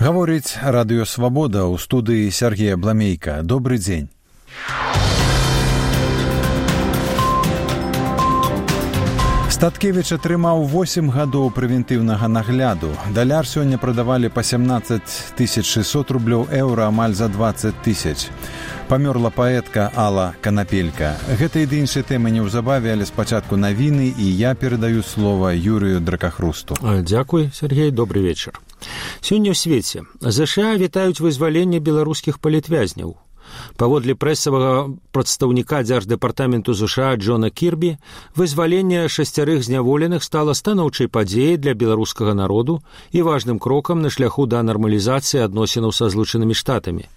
Гаворыць Радыё Свабода, ў студыі Сергея Бламейка. Добры дзень. Статкевіч атрымаў 8 гадоў прэвентыўнага нагляду. Даляр сёння прадавалі па 17 600 рублёў, еўра амаль за 20 000. Памёрла паэтка Алла Канапелька. Гэта і іншыя тэмы неўзабаве, але спачатку навіны, і я перадаю слова Юрыю Дракахрусту. Дзякуй, Сергей, добрый вечар. Сёння ў свеце ЗША вітаюць вызваленне беларускіх палітвязняў. Паводле прэсавага прадстаўніка Дзярждэпартаменту ЗША Джона Кірбі, вызваленне 6 зняволеных стала станоўчай падзеяй для беларускага народу і важным крокам на шляху да нармалізацыі адносінаў са Злучанымі Штатамі.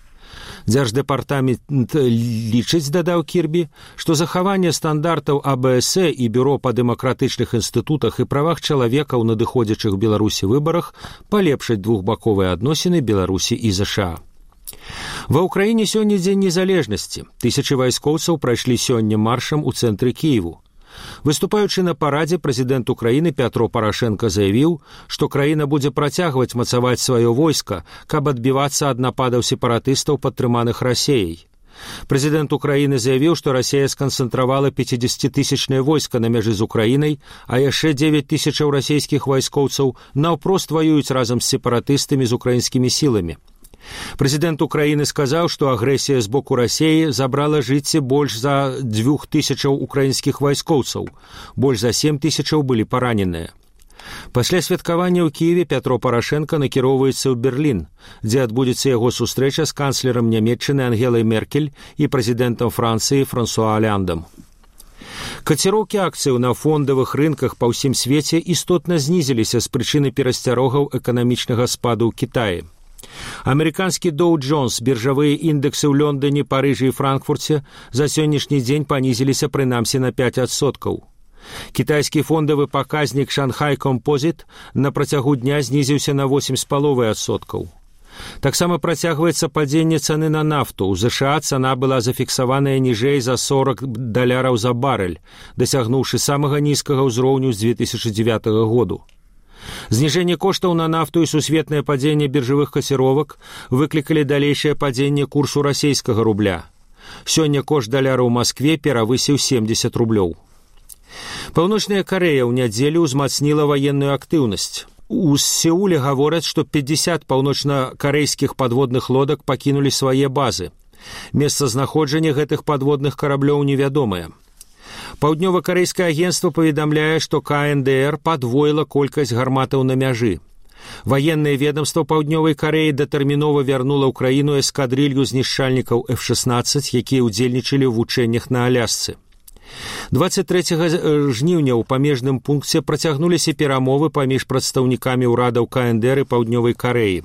Дзярждэпартамент лічыць, дадаў Кірбі, што захаванне стандартаў АБС і Бюро па дэмакратычных інстытутах і правах чалавека ў надыходзячых Беларусі выбарах палепшаць двухбаковыя адносіны Беларусі і ЗША. Ва ўкраіне сёння дзень незалежнасці. Тысячы вайскоўцаў прайшлі сёння маршам у цэнтры Кіеву. Выступаючы на парадзе, прэзідэнт Украіны Пятро Парашенка заявіў, што краіна будзе працягваць мацаваць сваё войска, каб адбівацца ад нападаў сепаратыстаў, падтрыманых Расеяй. Прэзідэнт Украіны заявіў, што Расея сканцэнтравала 50-тысячнае войска на мяжы з Украінай, а яшчэ 9 000 расейскіх вайскоўцаў наўпрост ваююць разам з сепаратыстамі з украінскімі сіламі. Прэзідэнт Украіны сказаў, што агрэсія з боку Расеі забрала жыцці больш за 2000 украінскіх вайскоўцаў, больш за 7000 былі параненыя. Пасля святкавання ў Кіеве Пятро Парашенка накіроўваецца ў Берлін, дзе адбудзецца яго сустрэча з канцлерам Нямецчыны Ангелай Меркель і прэзідэнтам Францыі Франсуа Оляндам. Каціроўкі акцыяў на фондавых рынках па ўсім свеце істотна знізіліся з прычыны перасцярогаў эканамічнага спаду ў Кітаі. Амерыканскі Доу Джонс, біржавыя індэксы ў Лондоне, Парыжы і Франкфурце за сённяшні дзень панізіліся прынамсі на 5%. Кітайскі фондавы паказнік Шанхай Композіт на працягу дня знізіўся на 8,5%. Таксама працягваецца падзенне цаны на нафту. У ЗША цана была зафіксаваная ніжэй за $40 за барэль, дасягнуўшы самага нізкага ўзроўню з 2009 году. Зніжэнне коштаў на нафту і сусветнае падзенне біржавых каціровак выклікалі далейшае падзенне курсу расейскага рубля. Сёння кошт даляра ў Маскве перавысіў 70 рублёў. Паўночная Карэя ў нядзелю ўзмацніла ваенную актыўнасць. У Сеуле гавораць, што 50 паўночна-карэйскіх падводных лодак пакінулі свае базы. Месцазнаходжанне гэтых падводных караблёў невядомае. Паўднёва-карэйскае агенцтва паведамляе, што КНДР падвоіла колькасць гарматаў на мяжы. Ваеннае ведамства Паўднёвай Карэі датэрмінова вярнула ў краіну эскадрылью знішчальнікаў F-16, якія ўдзельнічалі ў вучэннях на Алясцы. 23 жніўня ў памежным пункце працягнуліся перамовы паміж прадстаўнікамі ўрадаў КНДР і Паўднёвай Карэі.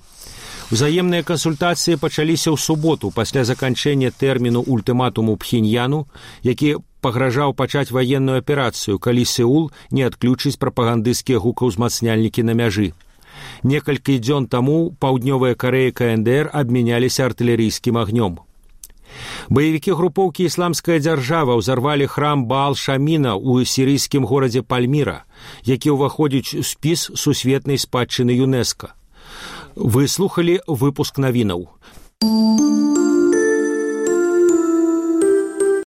Узаемныя кансультацыі пачаліся ў суботу пасля заканчэння тэрміну ультыматуму Пхеньяну, які пагражаў пачаць ваенную аперацыю, калі Сеул не адключыць прапагандысцкія гукаўзмацняльнікі на мяжы. Некалькі дзён таму Паўднёвая Карэя і КНДР абмяняліся артылерыйскім агнём. Баевікі групоўкі «Ісламская дзяржава» ўзарвалі храм Баал-Шаміна ў сірыйскім горадзе Пальміра, які ўваходзіць у спіс сусветнай спадчыны ЮНЕСКО. Вы слухалі выпуск навінаў.